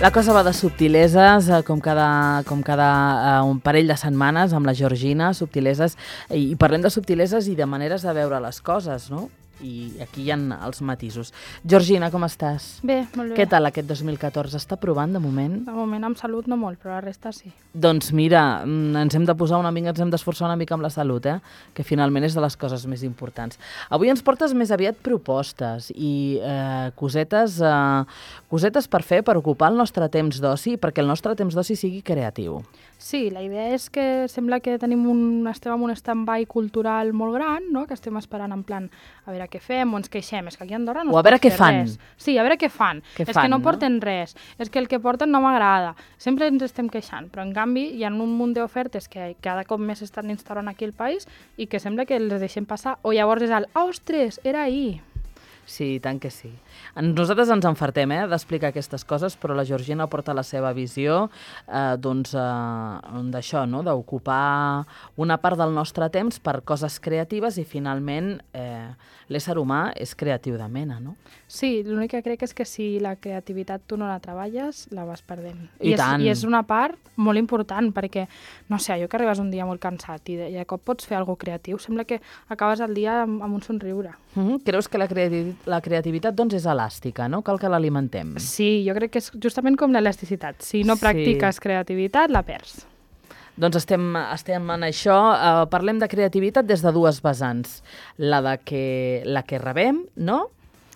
La cosa va de subtileses, com cada un parell de setmanes amb la Georgina, subtileses, i parlem de subtileses i de maneres de veure les coses, no? I aquí hi ha els matisos. Georgina, com estàs? Bé, molt bé. Què tal aquest 2014? Està provant de moment? De moment amb salut no molt, però la resta sí. Doncs mira, ens hem de posar una mica, ens hem d'esforçar una mica amb la salut, que finalment és de les coses més importants. Avui ens portes més aviat propostes i cosetes per fer, per ocupar el nostre temps d'oci, perquè el nostre temps d'oci sigui creatiu. Sí, la idea és que sembla que estem en un stand-by cultural molt gran, no? Que estem esperant en plan a veure què fem o ens queixem. És que aquí a Andorra no es pot fer res. Sí, a veure què fan. És que no porten res. És que el que porten no m'agrada. Sempre ens estem queixant, però en canvi hi ha un munt d'ofertes que cada cop més estan instaurant aquí al país i que sembla que les deixem passar. O llavors és el, ostres, era ahir. Sí, tant que sí. Nosaltres ens enfartem d'explicar aquestes coses, però la Georgina porta la seva visió d'això, no? D'ocupar una part del nostre temps per coses creatives i finalment l'ésser humà és creatiu de mena, no? Sí, l'únic que crec és que si la creativitat tu no la treballes, la vas perdent. I tant. I és una part molt important, perquè, no sé, allò que arribes un dia molt cansat i de cop pots fer alguna creatiu, sembla que acabes el dia amb un somriure. Creus que la creativitat doncs és elàstica, no? Cal que l'alimentem. Sí, jo crec que és justament com l'elasticitat. Si no practiques creativitat, la perds. Doncs estem en això. Parlem de creativitat des de dues vessants. La que rebem, no?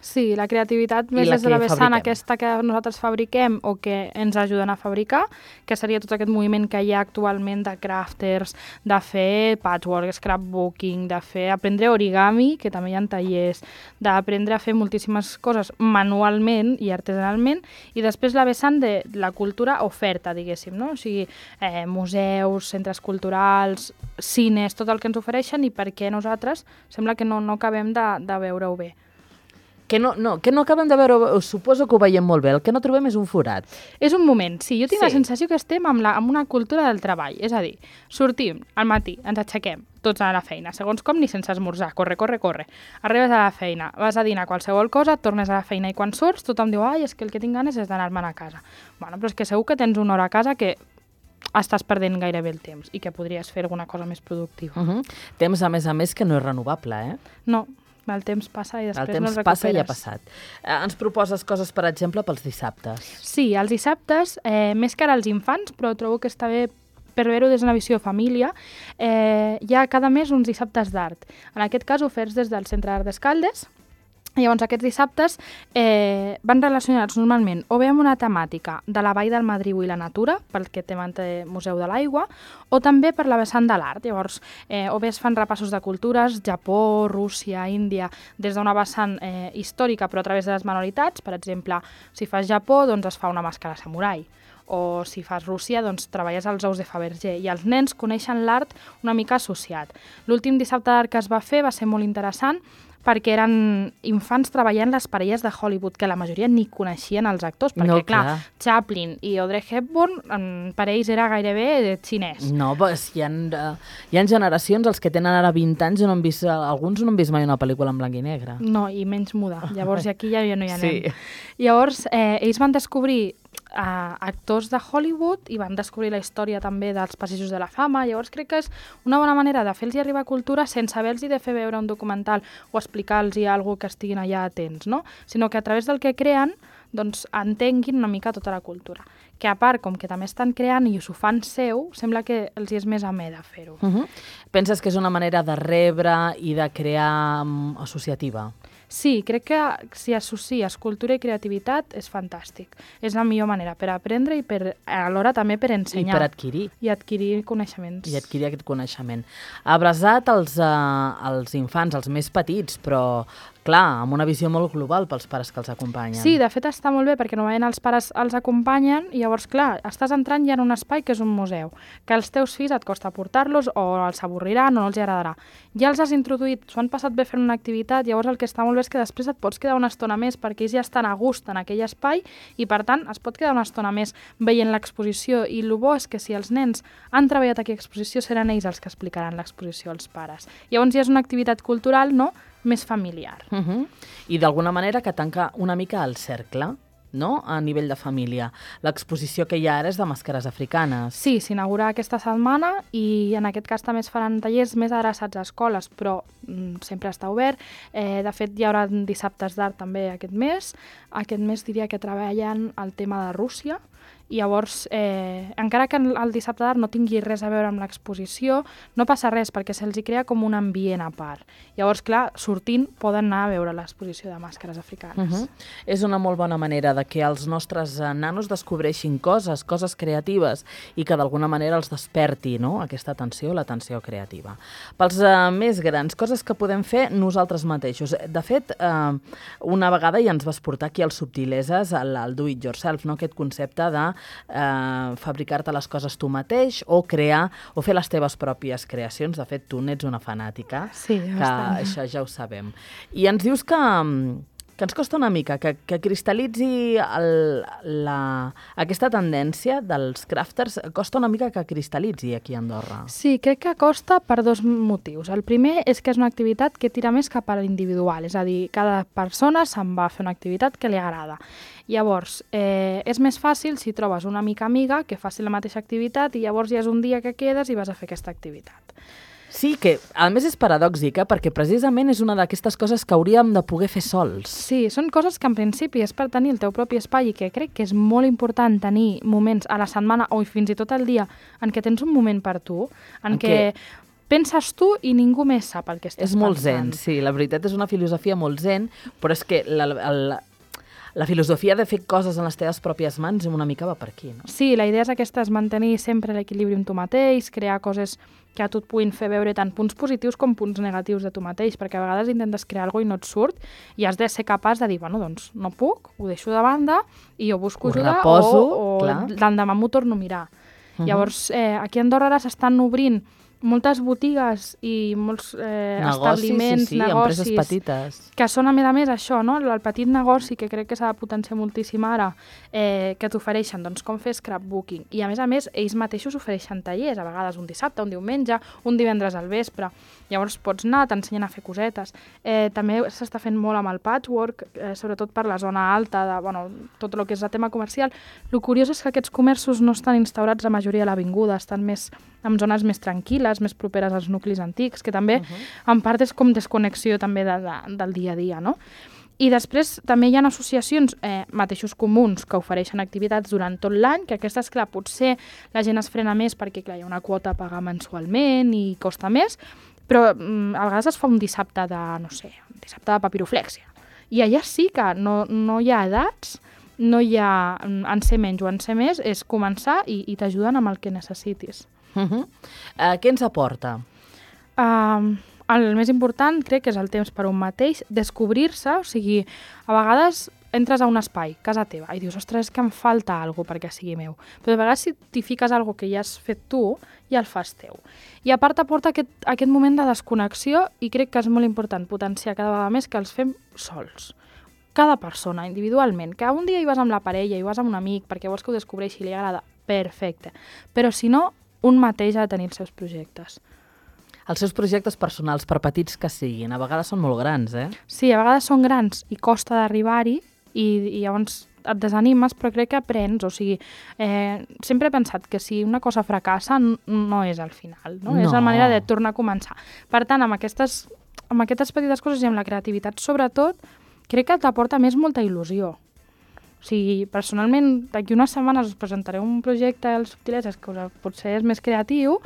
Sí, la creativitat més des de la vessant aquesta que nosaltres fabriquem o que ens ajuden a fabricar, que seria tot aquest moviment que hi ha actualment de crafters, de fer patchwork, scrapbooking, aprendre origami, que també hi ha tallers, d'aprendre a fer moltíssimes coses manualment i artesanalment, i després la vessant de la cultura oferta, diguéssim, no? O sigui, museus, centres culturals, cines, tot el que ens ofereixen i per què nosaltres sembla que no acabem de veure-ho bé. Que no acabem de veure, suposo que ho veiem molt bé, el que no trobem és un forat. És un moment, sí, jo tinc la sensació que estem amb una cultura del treball, és a dir, sortim al matí, ens aixequem, tots a la feina, segons com ni sense esmorzar, corre. Arribes a la feina, vas a dinar qualsevol cosa, tornes a la feina i quan surts tothom diu, és que el que tinc ganes és d'anar-me'n a casa. Bueno, però és que segur que tens una hora a casa que estàs perdent gairebé el temps i que podries fer alguna cosa més productiva. Temps, a més, que no és renovable, No. El temps passa i després no el recuperes. El temps passa i ha passat. Ens proposes coses, per exemple, pels dissabtes. Sí, els dissabtes, més que ara els infants, però trobo que està bé per veure-ho des d'una visió de família, hi ha cada mes uns dissabtes d'art. En aquest cas, oferts des del Centre d'Art d'Escaldes. Llavors, aquests dissabtes van relacionats normalment o bé amb una temàtica de la Vall del Madriu i la natura, perquè té Museu de l'Aigua, o també per la vessant de l'art. Llavors, o bé es fan repassos de cultures, Japó, Rússia, Índia, des d'una vessant històrica, però a través de les manualitats. Per exemple, si fas Japó, doncs es fa una màscara samurai. O si fas Rússia, doncs treballes els ous de Fabergé. I els nens coneixen l'art una mica associat. L'últim dissabte d'art que es va fer va ser molt interessant, perquè eren infants treballant les parelles de Hollywood, que la majoria ni coneixien els actors, perquè, clar, Chaplin i Audrey Hepburn, per ells era gairebé xinès. No, doncs hi ha generacions, els que tenen ara 20 anys, alguns no han vist mai una pel·lícula en blanc i negre. No, i menys muda. Llavors aquí ja no hi anem. Sí. Llavors, ells van descobrir actors de Hollywood i van descobrir la història també dels Passejos de la Fama. Llavors crec que és una bona manera de fer-los arribar cultura sense haver-los de fer veure un documental o explicar-los alguna cosa que estiguin allà atents, no? Sinó que a través del que creen doncs entenguin una mica tota la cultura. Que a part, com que també estan creant i s'ho fan seu, sembla que els és més amè de fer-ho. Penses que és una manera de rebre i de crear associativa? Sí, crec que si associes cultura i creativitat és fantàstic. És la millor manera per aprendre i alhora també per ensenyar. I per adquirir. I adquirir coneixements. I adquirir aquest coneixement. Abraçat als infants, els més petits, però clar, amb una visió molt global pels pares que els acompanyen. Sí, de fet està molt bé perquè normalment els pares els acompanyen i llavors, clar, estàs entrant ja en un espai que és un museu, que als teus fills et costa portar-los o els avorriran o no els agradarà. Ja els has introduït, s'ho han passat bé fent una activitat, llavors el que està molt bé és que després et pots quedar una estona més perquè ells ja estan a gust en aquell espai i per tant es pot quedar una estona més veient l'exposició i el bo és que si els nens han treballat aquella exposició seran ells els que explicaran l'exposició als pares. Llavors ja és una activitat cultural, no?, més familiar. I d'alguna manera que tanca una mica el cercle. no?, a nivell de família. L'exposició que hi ha ara és de màscares africanes. Sí, s'inaugura aquesta setmana i en aquest cas també es faran tallers més adreçats a escoles, però sempre està obert. De fet, hi haurà dissabtes d'art també aquest mes. Aquest mes diria que treballen el tema de Rússia, i llavors, encara que el dissabte d'art no tingui res a veure amb l'exposició, no passa res, perquè se'ls hi crea com un ambient a part. Llavors, clar, sortint poden anar a veure l'exposició de màscares africanes. És una molt bona manera de que els nostres nanos descobreixin coses creatives i que d'alguna manera els desperti, no?, aquesta atenció, l'atenció creativa. Pels més grans, coses que podem fer nosaltres mateixos. De fet, una vegada ja ens vas portar aquí als Subtileses el do it yourself, no?, aquest concepte de fabricar-te les coses tu mateix o crear o fer les teves pròpies creacions. De fet, tu n'ets una fanàtica, sí, que això ja ho sabem. I ens dius que ens costa una mica que cristal·litzi aquesta tendència dels crafters, costa una mica que cristal·litzi aquí a Andorra. Sí, crec que costa per dos motius. El primer és que és una activitat que tira més cap a l'individual, és a dir, cada persona se'n va a fer una activitat que li agrada. Llavors, és més fàcil si trobes una amiga que faci la mateixa activitat i llavors ja és un dia que quedes i vas a fer aquesta activitat. Sí, que a més és paradòxica perquè precisament és una d'aquestes coses que hauríem de poder fer sols. Sí, són coses que en principi és per tenir el teu propi espai i que crec que és molt important tenir moments a la setmana o fins i tot al dia en què tens un moment per tu, en què penses tu i ningú més sap el que estàs pensant. És molt zen, sí, la veritat és una filosofia molt zen, però és que la filosofia de fer coses en les teves pròpies mans una mica va per aquí, no? Sí, la idea és aquesta, és mantenir sempre l'equilibri amb tu mateix, crear coses que a tu et puguin fer veure tant punts positius com punts negatius de tu mateix, perquè a vegades intentes crear alguna cosa i no et surt i has de ser capaç de dir, bueno, doncs no puc, ho deixo de banda i jo busco ajuda o l'endemà m'ho torno a mirar. Llavors, aquí a Andorra ara s'estan obrint moltes botigues i molts establiments, negocis, empreses petites, que són a més això, no? El petit negoci que crec que s'ha de potenciar moltíssim ara, que t'ofereixen doncs, com fer scrapbooking. I a més, ells mateixos ofereixen tallers, a vegades un dissabte, un diumenge, un divendres al vespre. Llavors pots anar, t'ensenyen a fer cosetes. També s'està fent molt amb el patchwork, sobretot per la zona alta, tot el que és el tema comercial. El curiós és que aquests comerços no estan instaurats la majoria a l'avinguda, estan més en zones més tranquil·les, més properes als nuclis antics, que també en part és com desconnexió també del dia a dia, no? I després també hi ha associacions, mateixos comuns, que ofereixen activitats durant tot l'any, que aquestes, clar, potser la gent es frena més perquè, clar, hi ha una quota a pagar mensualment i costa més, però a vegades es fa un dissabte de papiroflèxia. I allà sí que no hi ha edats, no hi ha en ser menys o en ser més, és començar i t'ajuden amb el que necessitis. Què ens aporta? El més important crec que és el temps per un mateix, descobrir-se, o sigui, a vegades entres a un espai, casa teva, i dius, ostres, és que em falta alguna cosa perquè sigui meu. Però de vegades si t'hi fiques alguna cosa que ja has fet tu, ja el fas teu. I a part t'aporta aquest moment de desconnexió i crec que és molt important potenciar cada vegada més que els fem sols. Cada persona, individualment, que un dia hi vas amb la parella, hi vas amb un amic perquè vols que ho descobreixi i li agrada, perfecte. Però si no, un mateix ha de tenir els seus projectes. Els seus projectes personals, per petits que siguin, a vegades són molt grans, eh? Sí, a vegades són grans i costa d'arribar-hi i llavors et desanimes, però crec que aprens, o sigui, sempre he pensat que si una cosa fracassa no és el final, no? És la manera de tornar a començar. Per tant, amb aquestes petites coses i amb la creativitat, sobretot, crec que t'aporta més molta il·lusió. O sigui, personalment, d'aquí unes setmanes us presentaré un projecte als Subtileses que potser és més creatiu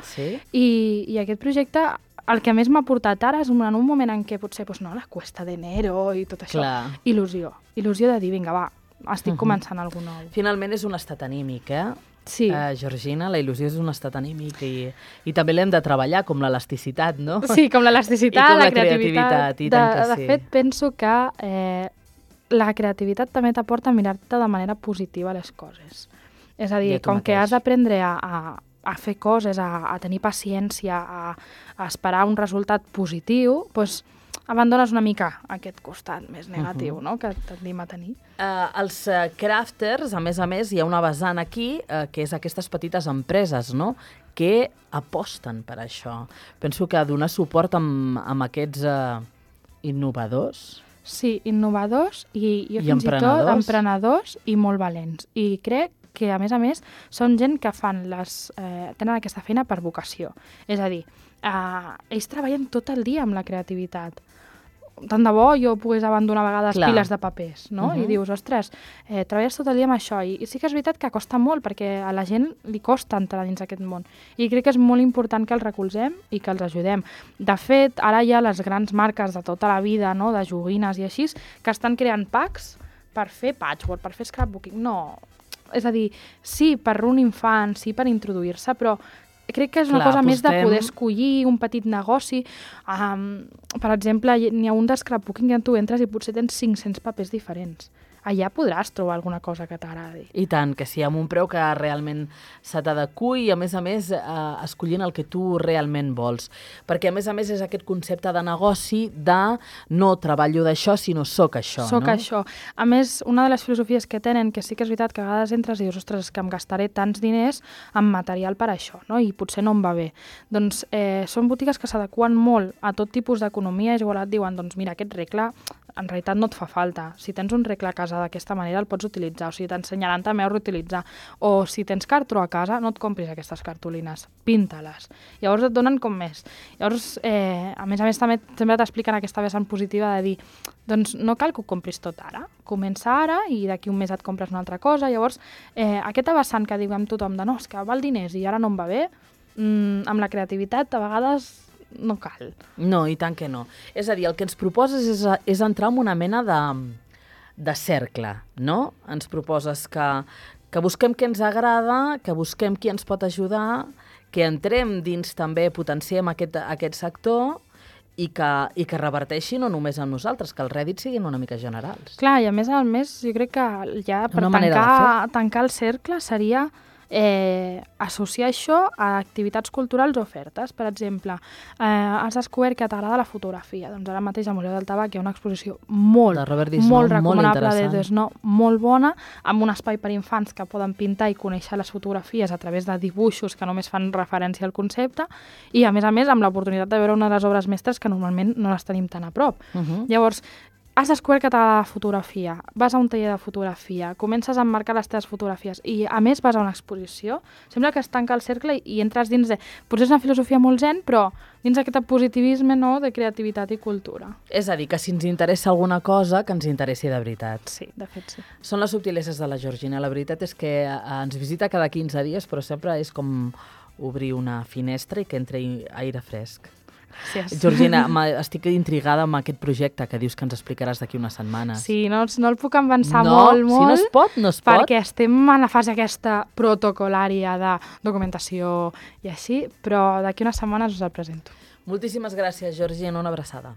i aquest projecte el que més m'ha portat ara és en un moment en què potser la cuesta d'enero i tot això. Il·lusió de dir, vinga, va, estic començant alguna cosa nou. Finalment és un estat anímic, eh? Sí. Georgina, la il·lusió és un estat anímic i també l'hem de treballar, com l'elasticitat, no? Sí, com l'elasticitat, la creativitat. De fet, penso que la creativitat també t'aporta a mirar-te de manera positiva les coses. És a dir, com que has d'aprendre a fer coses, a tenir paciència, a esperar un resultat positiu, doncs abandones una mica aquest costat més negatiu, no?, que tendim a tenir. Els crafters, a més, hi ha una vessant aquí, que és aquestes petites empreses, no?, que aposten per això. Penso que donar suport amb aquests innovadors Sí, innovadors i jo I fins i tot emprenedors. emprenedors i molt valents. I crec que, a més, són gent que tenen aquesta feina per vocació. És a dir, ells treballen tot el dia amb la creativitat. Tant de bo jo pogués abandonar a vegades piles de papers, no? I dius, ostres, treballes tot el dia amb això. I sí que és veritat que costa molt, perquè a la gent li costa entrar dins aquest món. I crec que és molt important que els recolzem i que els ajudem. De fet, ara hi ha les grans marques de tota la vida, no?, de joguines i així, que estan creant packs per fer patchwork, per fer scrapbooking. No, és a dir, sí, per un infant, sí, per introduir-se, però crec que és una cosa més de poder escollir un petit negoci. Per exemple, n'hi ha un de scrapbooking que tu entres i potser tens 500 papers diferents. Allà podràs trobar alguna cosa que t'agradi. I tant, que sí, amb un preu que realment se t'adequi i, a més, escollint el que tu realment vols. Perquè, a més, és aquest concepte de negoci de no treballo d'això, sinó soc això. Soc això. A més, una de les filosofies que tenen, que sí que és veritat que a vegades entres i dius, ostres, que em gastaré tants diners en material per això, no? I potser no em va bé. Doncs són botigues que s'adequen molt a tot tipus d'economia, és igual et diuen, doncs mira, aquest regle en realitat no et fa falta. Si tens un regle a casa d'aquesta manera el pots utilitzar, o sigui, t'ensenyaran també a reutilitzar. O si tens cartró a casa, no et compris aquestes cartolines, pinta-les. Llavors et donen com més. Llavors, a més, també sempre t'expliquen aquesta vessant positiva de dir, doncs no cal que ho compris tot ara, comença ara i d'aquí un mes et compres una altra cosa. Llavors, aquesta vessant que diguem tothom de no, és que val diners i ara no em va bé, amb la creativitat a vegades no cal. No, i tant que no. És a dir, el que ens proposes és entrar en una mena de cercle, no? Ens proposes que busquem què ens agrada, que busquem qui ens pot ajudar, que entrem dins també, potenciem aquest sector i que reverteixi no només amb nosaltres, que els rèdits siguin una mica generals. Clar, i a més, jo crec que ja per tancar el cercle seria associar això a activitats culturals o ofertes. Per exemple, has descobert que t'agrada la fotografia. Doncs ara mateix al Museu del Tabac hi ha una exposició molt recomanable de Desnò, molt bona, amb un espai per infants que poden pintar i conèixer les fotografies a través de dibuixos que només fan referència al concepte i, a més, amb l'oportunitat de veure una de les obres mestres que normalment no les tenim tan a prop. Llavors, has descobert que t'agrada la fotografia, vas a un taller de fotografia, comences a emmarcar les teves fotografies i, a més, vas a una exposició. Sembla que es tanca el cercle i entres dins de... Potser és una filosofia molt zen, però dins d'aquest positivisme, no?, de creativitat i cultura. És a dir, que si ens interessa alguna cosa, que ens interessi de veritat. Sí, de fet sí. Són les subtileses de la Georgina. La veritat és que ens visita cada 15 dies, però sempre és com obrir una finestra i que entri aire fresc. Gràcies. Georgina, estic intrigada amb aquest projecte que dius que ens explicaràs d'aquí unes setmanes. Sí, no el puc avançar molt. Si no es pot, no es pot. Perquè estem en la fase aquesta protocolària de documentació i així, però d'aquí unes setmanes us el presento. Moltíssimes gràcies, Georgina, una abraçada.